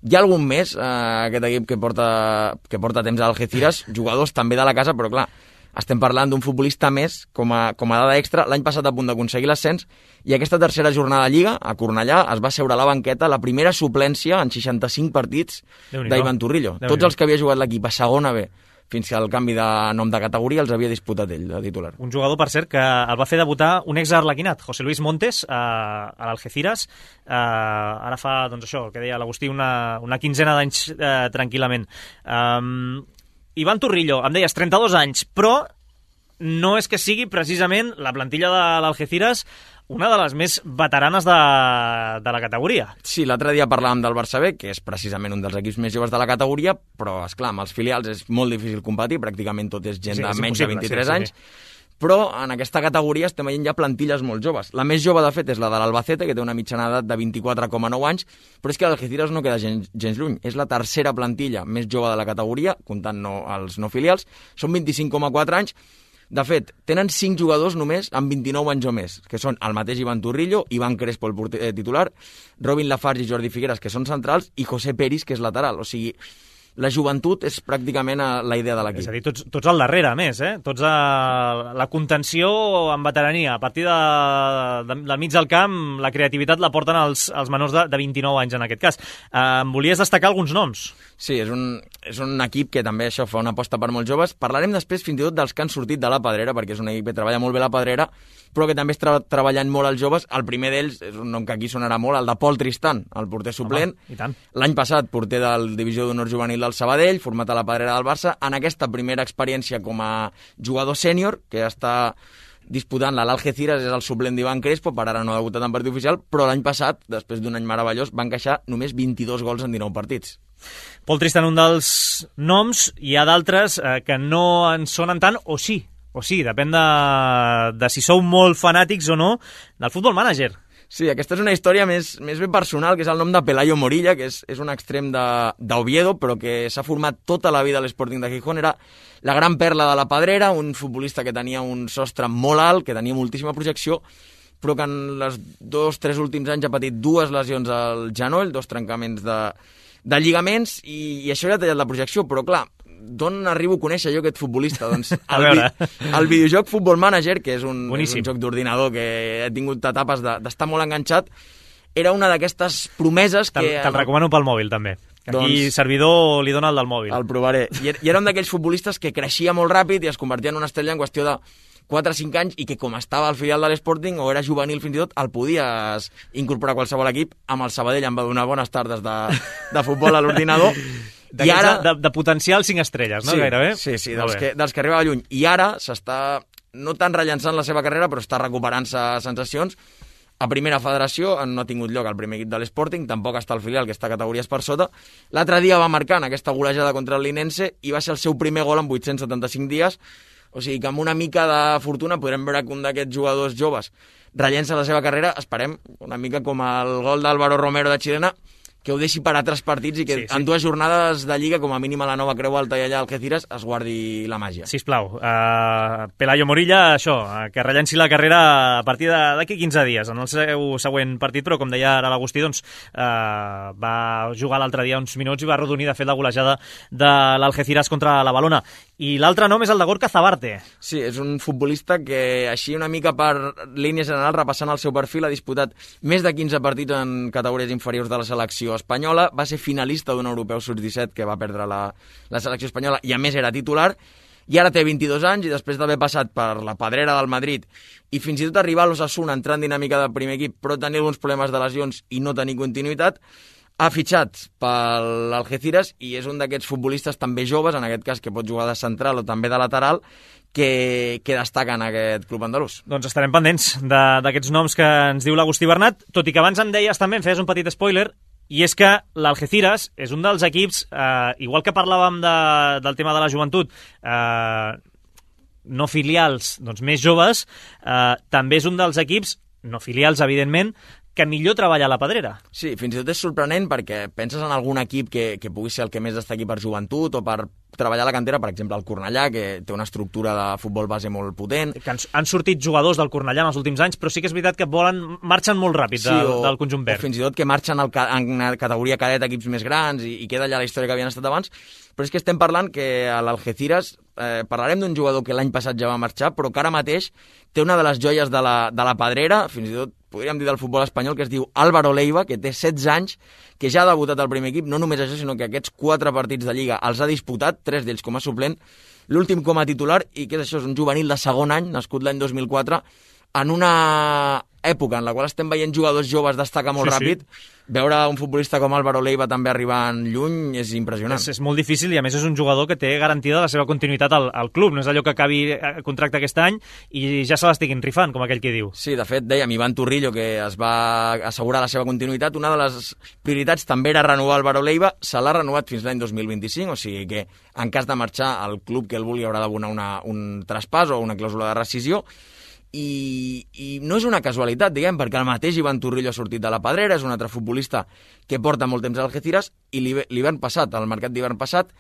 Hi ha algun més, aquest equip que porta temps a l'Algeciras, jugadors també de la casa, però clar, estem parlant d'un futbolista més com a dada extra. L'any passat a punt d'aconseguir l'ascens, i aquesta tercera jornada de Lliga, a Cornellà, es va seure a la banqueta la primera suplència en 65 partits d'Ivan Turrillo. Tots els que havia jugat l'equip a segona B fins que el canvi de nom de categoria els havia disputat ell, de titular. Un jugador, per cert, que el va fer debutar un ex-arlequinat, José Luis Montes, a l'Algeciras. Ara fa, doncs això, que deia l'Agustí, una quinzena d'anys tranquil·lament. Ivan Turrillo, em deies 32 anys, però no és que sigui precisament la plantilla de l'Algeciras una de les més veteranes de la categoria. Sí, l'altre dia parlàvem del Barça B, que és precisament un dels equips més joves de la categoria, però, esclar, amb els filials és molt difícil competir, pràcticament tot és gent de menys de 23 anys, però en aquesta categoria estem veient ja plantilles molt joves. La més jove, de fet, és la de l'Albacete, que té una mitjana d'edat de 24,9 anys, però és que l'Algeciras no queda gens lluny. És la tercera plantilla més jove de la categoria, comptant els no filials, són 25,4 anys. De fet, tenen 5 jugadors només amb 29 anys o més, que són el mateix Ivan Turrillo, Ivan Crespo, el porter titular, Robin Lafarge i Jordi Figueras, que són centrals, i José Peris, que és lateral. O sigui, la joventut és pràcticament la idea de l'equip. És a dir, tots al darrere, a més, Tots la contenció amb veterania. A partir del mig del camp, la creativitat la porten els menors de 29 anys, en aquest cas. Em volies destacar alguns noms? Sí, és un equip que també això fa una aposta per molts joves. Parlarem després fins i tot dels que han sortit de la Pedrera, perquè és un equip que treballa molt bé la Pedrera, però que també està treballant molt els joves. El primer d'ells és un nom que aquí sonarà molt, el de Pol Tristan, el porter suplent. Home, i tant. L'any passat, porter del Divisió d'Honor Juvenil del Sabadell, format a la Pedrera del Barça. En aquesta primera experiència com a jugador sènior, que està disputant l'Algeciras, és el suplent d'Ivan Crespo, per ara no ha debutat en partit oficial, però l'any passat, després d'un any meravellós, van encaixar només 22 gols en 19 partits. Pol Tristan, un dels noms, hi ha d'altres que no en sonen tant, o sí, depèn de si sou molt fanàtics o no del Futbol Manager. Sí, aquesta és una història més ben personal, que és el nom de Pelayo Morilla, que és un extrem d'Oviedo, però que s'ha format tota la vida a l'Sporting de Gijón. Era la gran perla de la Pedrera, un futbolista que tenia un sostre molt alt, que tenia moltíssima projecció, però que en els 2-3 últims anys ha patit 2 lesions al genoll, 2 trencaments de lligaments, i això li ha tallat la projecció, però clar, d'on arribo a conèixer jo aquest futbolista? Doncs el videojoc Futbol Manager, que és un joc d'ordinador que he tingut etapes d'estar molt enganxat, era una d'aquestes promeses que... Te'l recomano pel mòbil, també. Aquí servidor li dona el del mòbil. El provaré. I era un d'aquells futbolistes que creixia molt ràpid i es convertia en una estrella en qüestió de 4 o 5 anys, i que com estava al filial de l'Sporting, o era juvenil fins i tot, el podies incorporar a qualsevol equip. Amb el Sabadell em va donar bones tardes de futbol a l'ordinador. I ara... de potencial 5 estrelles, no? Sí, gairebé? Sí, dels que arribava lluny. I ara s'està no tant rellançant la seva carrera, però està recuperant-se sensacions. A primera federació no ha tingut lloc el primer equip de l'Sporting, tampoc està al filial, que està categories per sota. L'altre dia va marcar en aquesta golejada contra el Linense i va ser el seu primer gol en 875 dies. O sigui que amb una mica de fortuna podrem veure que un d'aquests jugadors joves rellença la seva carrera, esperem, una mica com el gol d'Álvaro Romero de Xilena, que ho deixi per altres partits i que en 2 jornades de Lliga, com a mínim a la Nova Creu Alta i allà al Algeciras, es guardi la màgia. Sisplau, Pelayo Morilla, això, que rellenci la carrera a partir d'aquí 15 dies, en el seu següent partit, però com deia ara l'Agustí, doncs, va jugar l'altre dia uns minuts i va arrodonir, de fet, la golejada de l'Algeciras contra la Valona. I l'altre nom és el de Gorka Zabarte. Sí, és un futbolista que, així una mica per línia general, repassant el seu perfil, ha disputat més de 15 partits en categories inferiors de la selecció espanyola, va ser finalista d'un europeu sub-17 que va perdre la selecció espanyola i a més era titular, i ara té 22 anys i després d'haver passat per la Pedrera del Madrid i fins i tot arribar a l'Osasuna entrant en dinàmica de primer equip però tenir alguns problemes de lesions i no tenir continuïtat, ha fitxat per l'Algeciras i és un d'aquests futbolistes també joves, en aquest cas que pot jugar de central o també de lateral, que destaca en aquest club andalús. Doncs estarem pendents d'aquests noms que ens diu l'Agustí Bernat, tot i que abans em deies també, em feies un petit spoiler, i és que l'Algeciras és un dels equips, igual que parlàvem del tema de la joventut, no filials, doncs més joves, també és un dels equips, no filials evidentment, que millor treballa a la Pedrera. Sí, fins i tot és sorprenent perquè penses en algun equip que pugui ser el que més destaqui per joventut o per treballar a la cantera, per exemple el Cornellà, que té una estructura de futbol base molt potent. Que han sortit jugadors del Cornellà en els últims anys, però sí que és veritat que marxen molt ràpid del conjunt verd. O fins i tot que marxen en categoria cadet equips més grans i queda allà la història que havien estat abans. Però és que estem parlant que a l'Algeciras parlarem d'un jugador que l'any passat ja va marxar, però que ara mateix té una de les joies de la Pedrera, fins i tot podríem dir del futbol espanyol, que es diu Álvaro Leiva, que té 16 anys, que ja ha debutat al primer equip, no només això, sinó que aquests 4 partits de Lliga els ha disputat, 3 d'ells com a suplent, l'últim com a titular, i què és això? És un juvenil de segon any, nascut l'any 2004, en una època en la qual estem veient jugadors joves destacar molt ràpid, veure un futbolista com Álvaro Leiva també arribant lluny és impressionant. És molt difícil i a més és un jugador que té garantida la seva continuïtat al club, no és allò que acabi contracte aquest any i ja se l'estiguin rifant, com aquell que diu. Sí, de fet, dèiem, Ivan Turrillo, que es va assegurar la seva continuïtat, una de les prioritats també era renovar Álvaro Leiva, se l'ha renovat fins l'any 2025, o sigui que en cas de marxar al club que el vulgui haurà d'abonar un traspàs o una clàusula de rescisió. I no és una casualitat, diguem, perquè el mateix Ivan Turrillo ha sortit de la Pedrera, és un altre futbolista que porta molt temps a Algeciras, i l'hivern passat, al mercat d'hivern passat,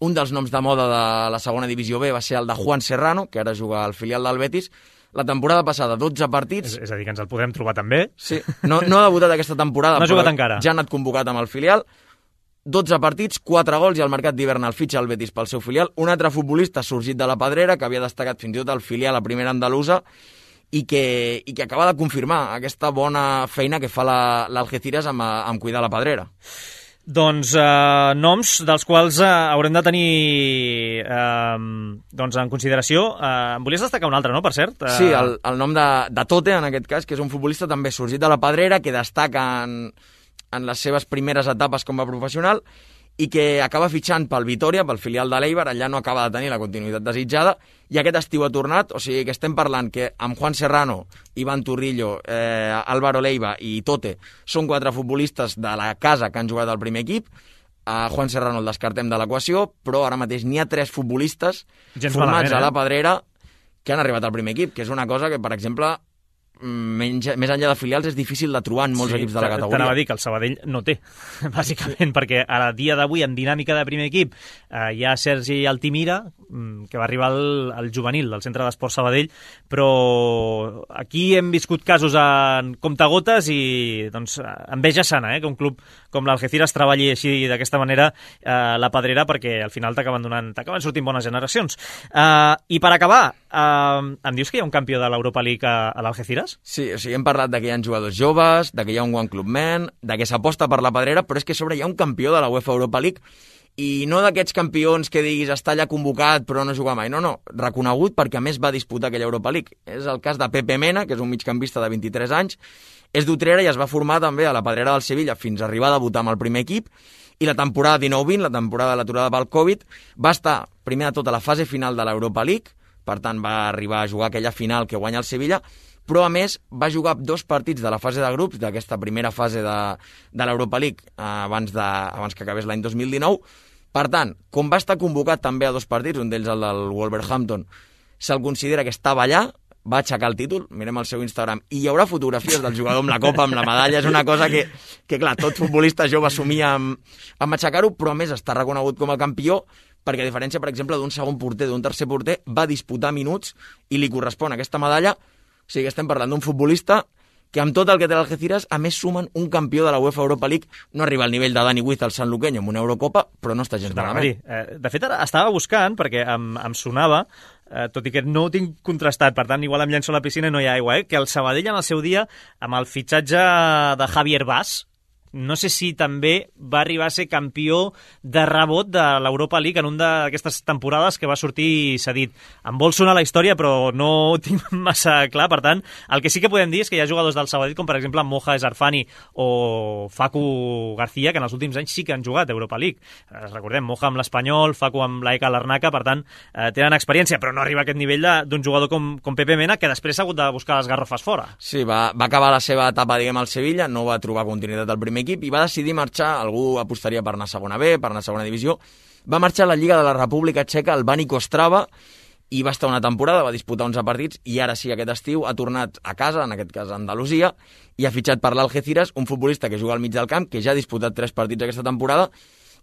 un dels noms de moda de la segona divisió B va ser el de Juan Serrano, que ara juga al filial del Betis. La temporada passada, 12 partits... És a dir, que ens el podem trobar també. Sí, no ha debutat aquesta temporada, no ha jugat encara. Ja ha anat convocat amb el filial. 12 partits, 4 gols, i al mercat d'hivern el fitxa el Betis pel seu filial. Un altre futbolista sorgit de la Pedrera, que havia destacat fins i tot al filial a primera andalusa, i que acaba de confirmar aquesta bona feina que fa l'Algeciras amb cuidar la Pedrera. Doncs noms dels quals haurem de tenir en consideració. Em volies destacar un altre, no, per cert? Sí, el nom de Tote, en aquest cas, que és un futbolista també sorgit de la Pedrera, que destaca en les seves primeres etapes com a professional i que acaba fitxant pel Vitoria, pel filial de l'Eibar, allà no acaba de tenir la continuïtat desitjada, i aquest estiu ha tornat, o sigui que estem parlant que amb Juan Serrano, Ivan Turrillo, Álvaro Leiva i Tote són 4 futbolistes de la casa que han jugat al primer equip. A Juan Serrano el descartem de l'equació, però ara mateix n'hi ha 3 futbolistes formats a la Pedrera que han arribat al primer equip, que és una cosa que, per exemple, més enllà de filials és difícil de trobar en molts equips de la categoria. T'anava a dir que el Sabadell no té, bàsicament, perquè a dia d'avui, en dinàmica de primer equip, hi ha Sergi Altimira, que va arribar al juvenil del Centre d'Esport Sabadell, però aquí hem viscut casos en comptagotes i doncs enveja sana, que un club com l'Algeciras treballi així d'aquesta manera la Pedrera, perquè al final t'acaben sortint bones generacions. I per acabar, em dius que hi ha un campió de l'Europa League a l'Algeciras? Sí, o sigui, hem parlat de que hi ha jugadors joves, de que hi ha un One Club Man, de que s'aposta per la Pedrera, però és que a sobre hi ha un campió de la UEFA Europa League, i no d'aquests campions que diguis està allà convocat però no juga mai, no, reconegut perquè a més va disputar aquella Europa League. És el cas de Pepe Mena, que és un migcampista de 23 anys, és d'Utrera i es va formar també a la Pedrera del Sevilla fins a arribar a debutar amb el primer equip, i la temporada 19-20, la temporada de l'aturada pel Covid, va estar primer de tot a la fase final de l'Europa League, per tant va arribar a jugar aquella final que guanya el Sevilla, però a més va jugar 2 partits de la fase de grups d'aquesta primera fase de l'Europa League abans que acabés l'any 2019. Per tant, com va estar convocat també a 2 partits, un d'ells el del Wolverhampton, se'l considera que estava allà, va aixecar el títol, mirem el seu Instagram, i hi haurà fotografies del jugador amb la copa, amb la medalla, és una cosa que clar, tot futbolista jove assumia amb aixecar-ho, però a més està reconegut com a campió, perquè a diferència, per exemple, d'un segon porter, d'un tercer porter, va disputar minuts i li correspon aquesta medalla. O sigui, estem parlant d'un futbolista que amb tot el que té l'Algeciras, a més sumen un campió de la UEFA Europa League, no arriba al nivell de Dani Wiz al Sanluqueño amb una Eurocopa, però no està gens malament. De fet, ara estava buscant, perquè em sonava, tot i que no ho tinc contrastat, per tant, igual em llenço a la piscina i no hi ha aigua, que el Sabadell en el seu dia, amb el fitxatge de Javier Vaz, no sé si també va arribar a ser campió de rebot de l'Europa League en una d'aquestes temporades que va sortir cedit. Em vol sonar la història, però no ho tinc massa clar. Per tant, el que sí que podem dir és que hi ha jugadors del Sabadell, com per exemple Moja Esarfani o Facu García, que en els últims anys sí que han jugat a Europa League. Recordem, Moja amb l'Espanyol, Facu amb l'AEK Larnaca, per tant, tenen experiència, però no arriba a aquest nivell d'un jugador com Pepe Mena, que després ha hagut de buscar les garrofes fora. Sí, va acabar la seva etapa, diguem, al Sevilla, no va trobar continuïtat al primer equip i va decidir marxar, algú apostaria per anar a segona B, per anar a segona divisió, va marxar a la Lliga de la República Txeca, al Bani Kostrava, i va estar una temporada, va disputar 11 partits, i ara sí, aquest estiu, ha tornat a casa, en aquest cas a Andalusia, i ha fitxat per l'Algeciras, un futbolista que juga al mig del camp, que ja ha disputat 3 partits aquesta temporada,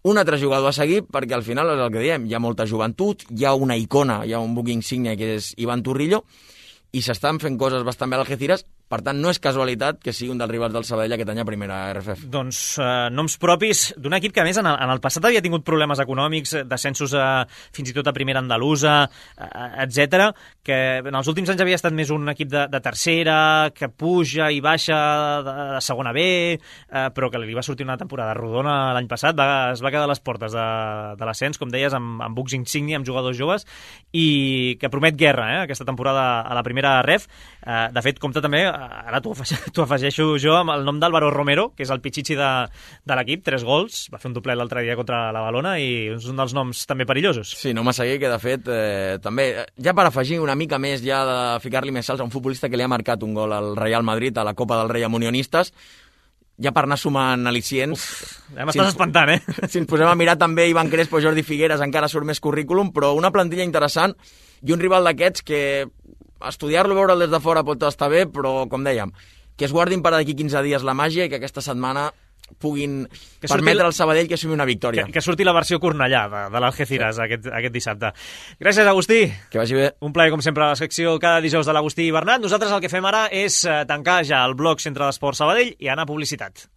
un altre jugador a seguir, perquè al final és el que diem, hi ha molta joventut, hi ha una icona, hi ha un buc insígnia que és Ivan Turrillo, i s'estan fent coses bastant bé a l'Algeciras, Per tant, no és casualitat que sigui un dels rivals del Sabadell aquest any a primera RFF. Doncs noms propis d'un equip que, a més, en el passat havia tingut problemes econòmics, descensos fins i tot a primera andalusa, etc, que en els últims anys havia estat més un equip de tercera, que puja i baixa de segona B, però que li va sortir una temporada rodona l'any passat, es va quedar a les portes de l'ascens, com deies, amb bucs insigni, amb jugadors joves, i que promet guerra, aquesta temporada a la primera ref. De fet, compta també, ara t'ho afegeixo jo, amb el nom d'Álvaro Romero, que és el pitxitxi de l'equip, 3 gols, va fer un doblet l'altre dia contra la Valona i és un dels noms també perillosos. Sí, no m'assegui que de fet també, ja per afegir una mica més, ja de ficar-li més salts a un futbolista que li ha marcat un gol al Real Madrid a la Copa del Rei amb Unionistes, ja per anar sumant al·licients... Ja m'estàs espantant, Si ens posem a mirar també Ivan Crespo, Jordi Figueres, encara surt més currículum, però una plantilla interessant i un rival d'aquests que estudiar-lo, veure'l des de fora pot estar bé, però, com dèiem, que es guardin per d'aquí 15 dies la màgia i que aquesta setmana puguin permetre al Sabadell que assumi una victòria. Que surti la versió Cornellà de l'Algeciras aquest dissabte. Gràcies, Agustí. Que vagi bé. Un plaer, com sempre, a la secció cada dijous de l'Agustí i Bernat. Nosaltres el que fem ara és tancar ja el bloc Centre d'Esports Sabadell i anar a publicitat.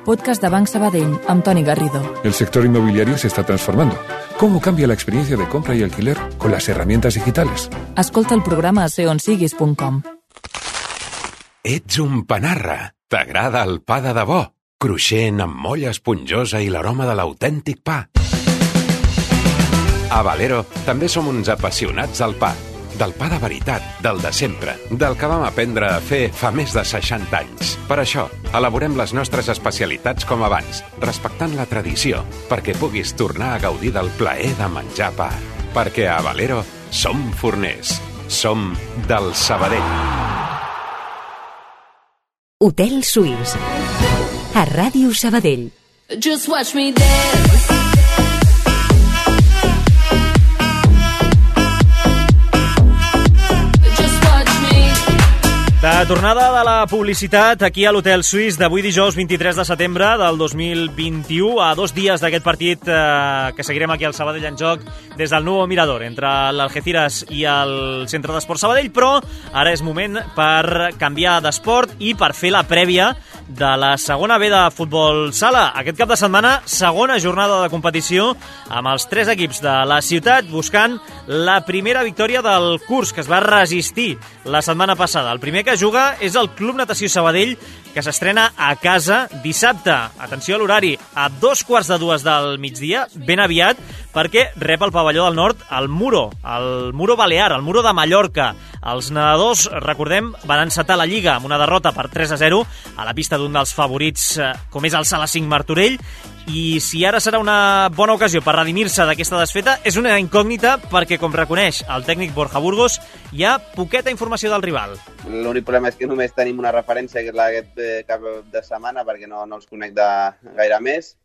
Podcast de Banc Sabadell, amb Toni Garrido. El sector inmobiliario se está transformando. ¿Cómo cambia la experiencia de compra y alquiler con las herramientas digitales? Escolta el programa a seonsiguis.com. Ets un panarra. T'agrada el pa de debò? Cruixent, amb molla esponjosa i l'aroma de l'autèntic pa. A Valero també som uns apassionats del pa. Del pa de veritat, del de sempre, del que vam aprendre a fer fa més de 60 anys. Per això, elaborem les nostres especialitats com abans, respectant la tradició, perquè puguis tornar a gaudir del plaer de menjar pa. Perquè a Valero som forners, som del Sabadell. Hotel Suís, a Ràdio Sabadell. Just watch me dance. De tornada de la publicitat aquí a l'Hotel Suís d'avui dijous 23 de setembre del 2021, a 2 dies d'aquest partit que seguirem aquí al Sabadell en joc des del Nuevo Mirador, entre l'Algeciras i el Centre d'Esports Sabadell, però ara és moment per canviar d'esport i per fer la prèvia de la segona B de futbol sala. Aquest cap de setmana, segona jornada de competició amb els 3 equips de la ciutat buscant la primera victòria del curs, que es va resistir la setmana passada. El primer que juga és el Club Natació Sabadell, que s'estrena a casa dissabte. Atenció a l'horari, a 2:15 del migdia, ben aviat, perquè rep el pavelló del nord el Muro Balear, el Muro de Mallorca. Els nedadors, recordem, van encetar la Lliga amb una derrota per 3-0 a la pista d'un dels favorits, com és el Sala 5 Martorell, i si ara serà una bona ocasió per redimir-se d'aquesta desfeta, és una incògnita perquè, com reconeix el tècnic Borja Burgos, hi ha poqueta informació del rival. L'únic problema és que només tenim una referència, que és aquest cap de setmana, perquè no els connecta gaire més,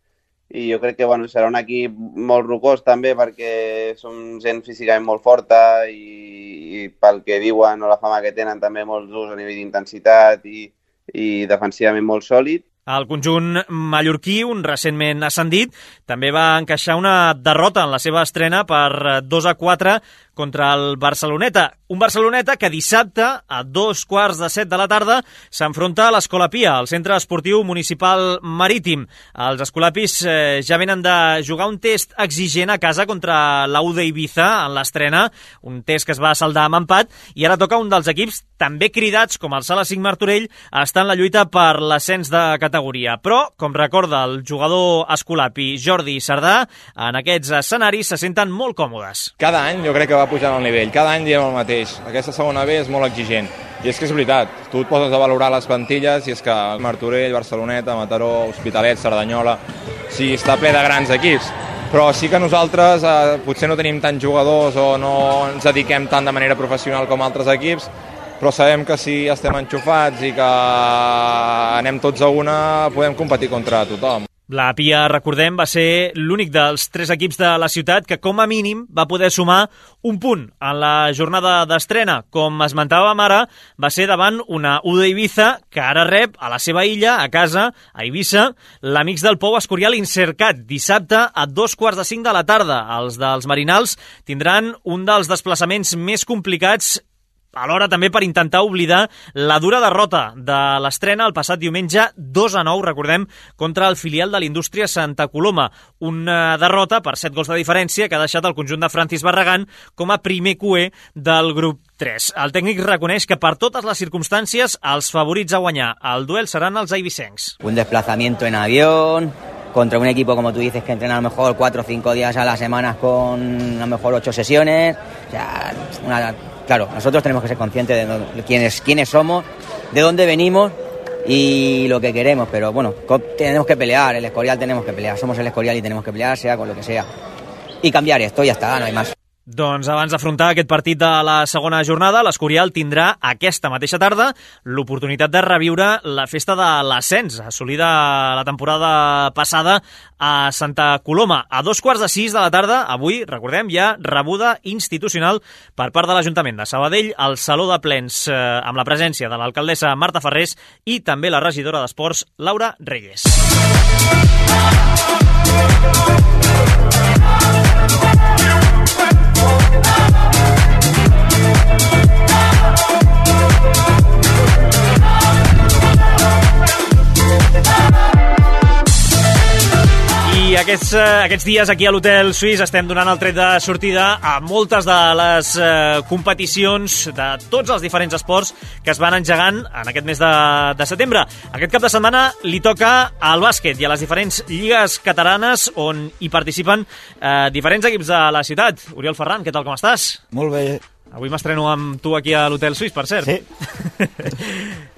i jo crec que serà un equip molt rocós també, perquè som gent físicament molt forta i pel que diuen o la fama que tenen també molts durs a nivell d'intensitat i defensivament molt sòlid. El conjunt mallorquí, un recentment ascendit, també va encaixar una derrota en la seva estrena per 2-4 contra el Barceloneta. Un Barceloneta que dissabte, a 2:15 de la tarda, s'enfronta a l'Escolapia, al centre esportiu municipal marítim. Els escolapis ja venen de jugar un test exigent a casa contra l'Aude Ibiza en l'estrena, un test que es va saldar amb empat, i ara toca un dels equips també cridats, com el Sala 5 Martorell, a estar en la lluita per l'ascens de categoria. Però, com recorda el jugador escolapi Jordi Sardà, en aquests escenaris se senten molt còmodes. Cada any jo crec que va pujant el nivell, cada any diem el mateix. Aquesta segona B és molt exigent. I és que és veritat, tu et poses a valorar les plantilles i és que Martorell, Barceloneta, Mataró, Hospitalet, Cerdanyola, sí, està ple de grans equips. Però sí que nosaltres potser no tenim tants jugadors o no ens dediquem tant de manera professional com altres equips, però sabem que si estem enxufats i que anem tots a una, podem competir contra tothom. La Pia, recordem, va ser l'únic dels 3 equips de la ciutat que com a mínim va poder sumar un punt en la jornada d'estrena. Com esmentàvem ara, va ser davant una U d'Eivissa que ara rep a la seva illa, a casa, a Eivissa, l'Amics del Pou Escorial Insercat, dissabte a 2:45 de la tarda. Els dels Marinals tindran un dels desplaçaments més complicats, alhora també per intentar oblidar la dura derrota de l'estrena el passat diumenge 2-9, recordem, contra el filial de l'Indústria Santa Coloma. Una derrota per 7 gols de diferència que ha deixat el conjunt de Francis Barragán com a primer cuer del grup 3. El tècnic reconeix que per totes les circumstàncies els favorits a guanyar el duel seran els eivissencs. Un desplazamiento en avión contra un equipo, como tú dices, que entrena a lo mejor 4 o 5 días a la semana con a lo mejor 8 sesiones. O sea, claro, nosotros tenemos que ser conscientes de quiénes somos, de dónde venimos y lo que queremos, pero bueno, tenemos que pelear, el Escorial tenemos que pelear, somos el Escorial y tenemos que pelear, sea con lo que sea. Y cambiar esto, ya está, no hay más. Doncs abans d'afrontar aquest partit de la segona jornada, l'Escorial tindrà aquesta mateixa tarda l'oportunitat de reviure la festa de l'ascens, assolida la temporada passada a Santa Coloma. A 5:15 de la tarda, avui, recordem, hi ha rebuda institucional per part de l'Ajuntament de Sabadell al Saló de Plens, amb la presència de l'alcaldessa Marta Ferrés i també la regidora d'Esports, Laura Reyes. I aquests dies aquí a l'Hotel Suís estem donant el tret de sortida a moltes de les competicions de tots els diferents esports que es van engegant en aquest mes de setembre. Aquest cap de setmana li toca al bàsquet i a les diferents lligues catalanes on hi participen diferents equips de la ciutat. Oriol Ferran, què tal, com estàs? Molt bé. Avui m'estreno amb tu aquí a l'Hotel Suís, per cert. Sí.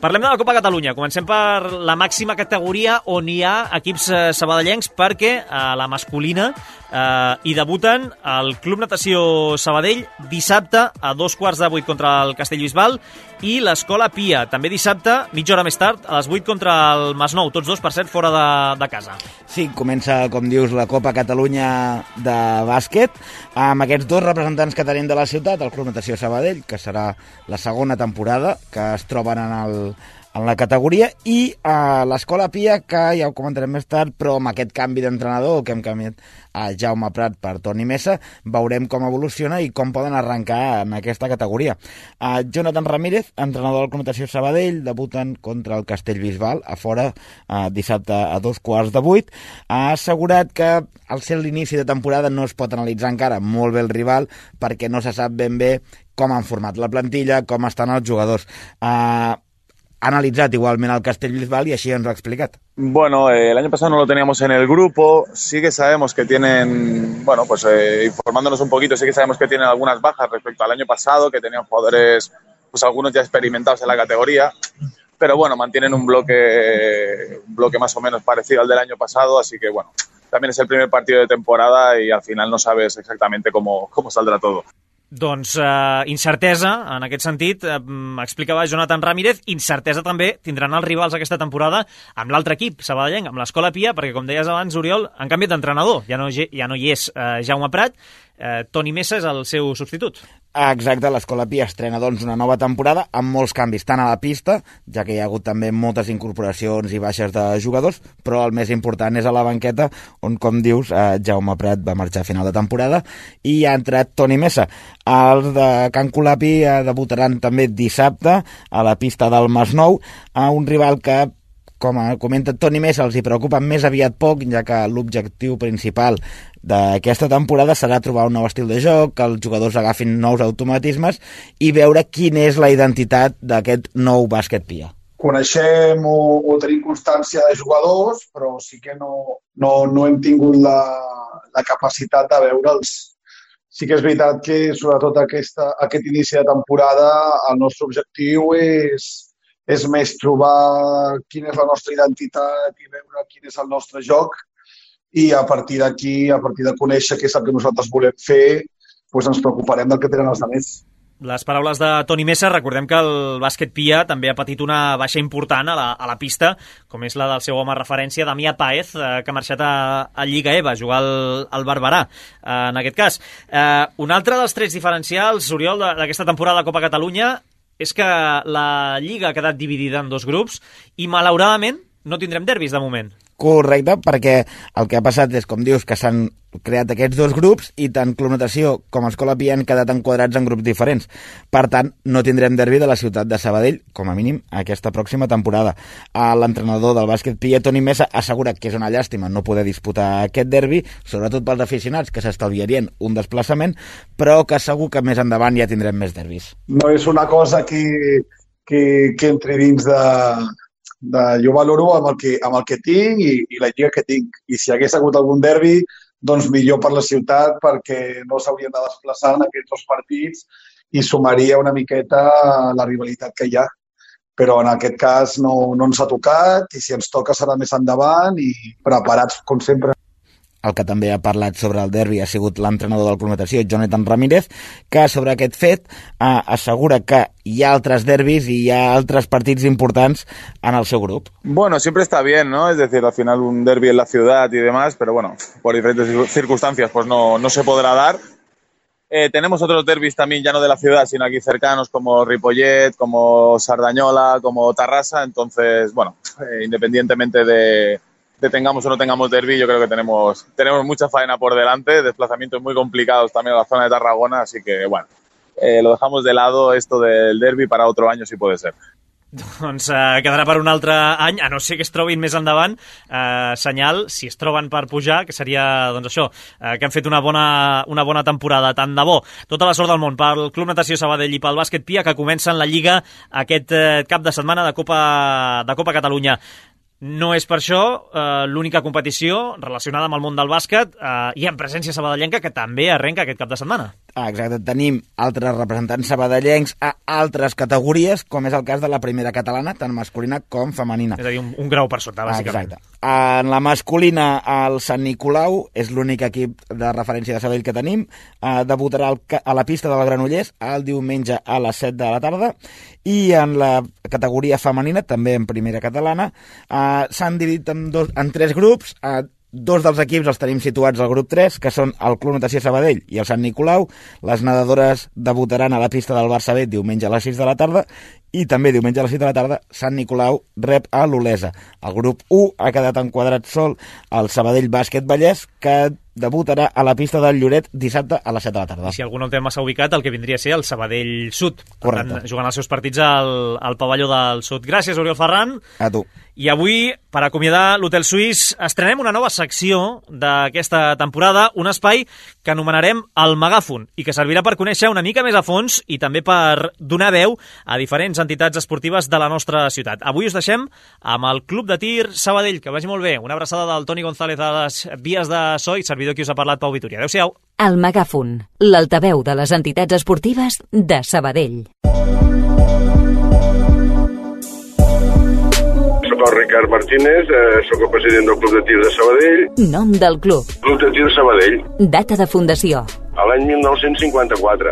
Parlem de la Copa Catalunya. Comencem per la màxima categoria on hi ha equips sabadellencs, perquè a la masculina hi debuten el Club Natació Sabadell dissabte a 7:15 contra el Castellbisbal i l'Escola Pia, també dissabte, mitja hora més tard, a les 8 contra el Masnou, tots dos, per cert, fora de casa. Sí, comença, com dius, la Copa Catalunya de bàsquet, amb aquests 2 representants que tenim de la ciutat, el Club Natació Sabadell, que serà la segona temporada que es troben en la categoria, i l'Escola Pia, que ja ho comentarem més tard, però amb aquest canvi d'entrenador que hem canviat a Jaume Prat per Toni Mesa, veurem com evoluciona i com poden arrencar en aquesta categoria. Jonathan Ramírez, entrenador del Club Natació Sabadell, debuten contra el Castellbisbal a fora dissabte a 7:15. Ha assegurat que al ser l'inici de temporada no es pot analitzar encara molt bé el rival perquè no se sap ben bé com han format la plantilla, com estan els jugadors. Ha analizado igualmente al Castellbisbal y así nos lo ha explicado. Bueno, el año pasado no lo teníamos en el grupo, sí que sabemos que tienen, bueno, pues informándonos un poquito, sí que sabemos que tienen algunas bajas respecto al año pasado, que tenían jugadores, pues algunos ya experimentados en la categoría, pero bueno, mantienen un bloque más o menos parecido al del año pasado, así que bueno, también es el primer partido de temporada y al final no sabes exactamente cómo saldrà todo. Doncs incertesa, en aquest sentit, explicava Jonathan Ramírez, incertesa també tindran els rivals aquesta temporada amb l'altre equip, sabadellenc, amb l'Escola Pia, perquè com deies abans, Oriol, han canviat d'entrenador, ja no hi és Jaume Prat, Toni Mesa és el seu substitut. Exacte, l'Escola Pia estrena doncs una nova temporada amb molts canvis, tant a la pista, ja que hi ha hagut també moltes incorporacions i baixes de jugadors, però el més important és a la banqueta, on, com dius, Jaume Prat va marxar a final de temporada i ha entrat Toni Mesa. Els de Can Colapi debutaran també dissabte a la pista del Masnou, a un rival que, com comenta Toni Mesa, els hi preocupa més aviat poc, ja que l'objectiu principal d'aquesta temporada serà trobar un nou estil de joc, que els jugadors agafin nous automatismes i veure quina és la identitat d'aquest nou bàsquet Pia. Coneixem o tenim constància de jugadors, però sí que no hem tingut la capacitat de veure'ls. Sí que és veritat que, sobretot aquest inici de temporada, el nostre objectiu és més trobar quina és la nostra identitat i veure quin és el nostre joc i a partir d'aquí, a partir de conèixer què és el que nosaltres volem fer, doncs ens preocuparem del que tenen els altres. Les paraules de Toni Mesa. Recordem que el bàsquet Pia també ha patit una baixa important a la pista, com és la del seu home referència, Damià Páez, que ha marxat a Lliga EVA, a jugar al Barberà, en aquest cas. Un altre dels trets diferencials, Oriol, d'aquesta temporada de Copa Catalunya és que la Lliga ha quedat dividida en dos grups i, malauradament, no tindrem derbis de moment. Correcte, perquè el que ha passat és, com dius, que s'han creat aquests dos grups i tant Club Natació com Escola Pia han quedat enquadrats en grups diferents. Per tant, no tindrem derbi de la ciutat de Sabadell, com a mínim, aquesta pròxima temporada. L'entrenador del bàsquet Pia, Toni Mesa, assegura que és una llàstima no poder disputar aquest derbi, sobretot pels aficionats, que s'estalviarien un desplaçament, però que segur que més endavant ja tindrem més derbis. No és una cosa que entri dins jo valoro amb el que tinc i la lliga que tinc. I si hagués hagut algun derbi, doncs millor per la ciutat, perquè no s'haurien de desplaçar en aquests dos partits i sumaria una miqueta la rivalitat que hi ha. Però en aquest cas no ens ha tocat i si ens toca serà més endavant i preparats, com sempre. El que també ha parlat sobre el derbi ha sigut l'entrenador del Club Natació, Jonathan Ramírez, que sobre aquest fet assegura que hi ha altres derbis i hi ha altres partits importants en el seu grup. Bueno, siempre está bien, ¿no? Es decir, al final un derbi en la ciudad y demás, pero bueno, por diferentes circunstancias pues no se podrá dar. Tenemos otros derbis también ya no de la ciudad, sino aquí cercanos, como Ripollet, como Sardañola, como Tarrasa. Entonces, bueno, independientemente de tengamos o no tengamos derbi, yo creo que tenemos mucha faena por delante, desplazamientos muy complicados también a la zona de Tarragona, así que, bueno, lo dejamos de lado esto del derbi para otro año, si puede ser. Doncs quedarà per un altre any, a no ser que es trobin més endavant, senyal, si es troben per pujar, que seria, doncs això, que han fet una bona temporada, tant de bo. Tota la sort del món pel Club Natació Sabadell i pel bàsquet Pia, que comencen la Lliga aquest cap de setmana de Copa Catalunya. No és per això l'única competició relacionada amb el món del bàsquet i en presència sabadellenca, que també arrenca aquest cap de setmana. Exacte, tenim altres representants sabadellencs a altres categories, com és el cas de la primera catalana, tant masculina com femenina. És a dir, un grau per sota, bàsicament. Exacte. En la masculina, el Sant Nicolau és l'únic equip de referència de Sabadell que tenim. Debutarà a la pista del Granollers el diumenge a les 7 de la tarda. I en la categoria femenina, també en primera catalana, s'han dividit en tres grups. Dos dels equips els tenim situats al grup 3, que són el Club Natació Sabadell i el Sant Nicolau. Les nedadores debutaran a la pista del Barça B diumenge a les 6 de la tarda i també diumenge a les 6 de la tarda Sant Nicolau rep a l'Olesa. El grup 1 ha quedat enquadrat sol al Sabadell Bàsquet Vallès, que debutarà a la pista del Lloret dissabte a les 7 de la tarda. I si algú no té massa ubicat, el que vindria a ser el Sabadell Sud. Correcte. Per tant, jugant els seus partits al pavelló del Sud. Gràcies, Oriol Ferran. A tu. I avui, per acomiadar l'Hotel Suís, estrenem una nova secció d'aquesta temporada, un espai que anomenarem el Megàfon i que servirà per conèixer una mica més a fons i també per donar veu a diferents entitats esportives de la nostra ciutat. Avui us deixem amb el Club de Tir Sabadell. Que vagi molt bé. Una abraçada del Toni González a les vies de so i servidor qui us ha parlat, Pau Vitoria. Adéu-siau. El Megàfon, l'altaveu de les entitats esportives de Sabadell. Soc el Ricard Martínez, soc el president del Club de Tir de Sabadell. Nom del club. Club de Tir Sabadell. Data de fundació. A l'any 1954.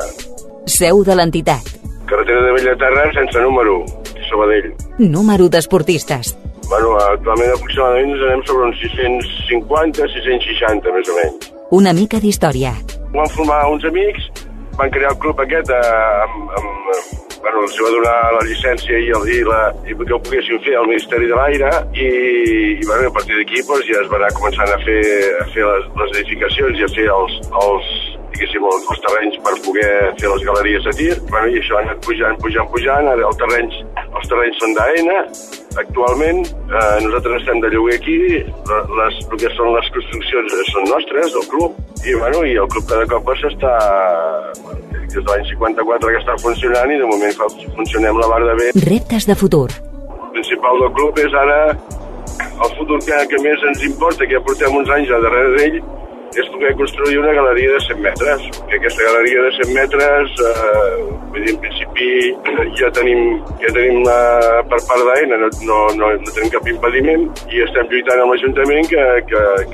Seu de l'entitat. Carretera de Bellaterra sense número, Sabadell. Número d'esportistes. Bueno, actualment aproximadament ens anem sobre uns 650, 660, més o menys. Una mica d'història. Van formar uns amics, van crear el club aquest bueno, els va donar la llicència i que ho poguessin fer al Ministeri de l'Aire i bueno, a partir d'aquí doncs, ja es va anar començant a fer les edificacions i a fer els terrenys per poder fer les galeries de tir. Bueno, i això ha anat pujant. Ara els terrenys són d'AENA. Actualment nosaltres estem de lloguer aquí, el que són les construccions són nostres, del club, i el club cada cop s'està, des de l'any 54 que està funcionant i de moment funcionem la mar de bé. Reptes de futur. El principal del club és ara el futur que més ens importa, que ja portem uns anys a darrere d'ell, és poder construir una galeria de 100 metres, que aquesta galeria de 100 metres, vull dir, en principi ja tenim per part d'AENA, no tenim cap impediment, i estem lluitant amb l'Ajuntament que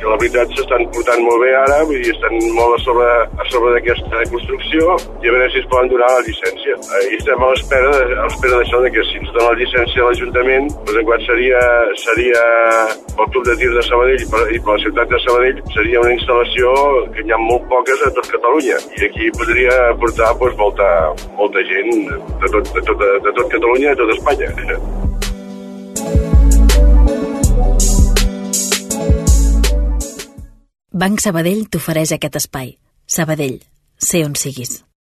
la veritat s'estan portant molt bé ara, vull dir, estan molt a sobre d'aquesta construcció, i a veure si es poden donar la llicència. I estem a l'espera d'això, que si ens dona la llicència a l'Ajuntament, doncs en quant seria pel Club de Tir de Sabadell i per la ciutat de Sabadell, seria una instal·lació que hi ha molt poques a tot Catalunya, i aquí podria portar molta gent de tot Catalunya i de tot Espanya. Banc Sabadell t'ofereix aquest espai. Sabadell, sé on siguis.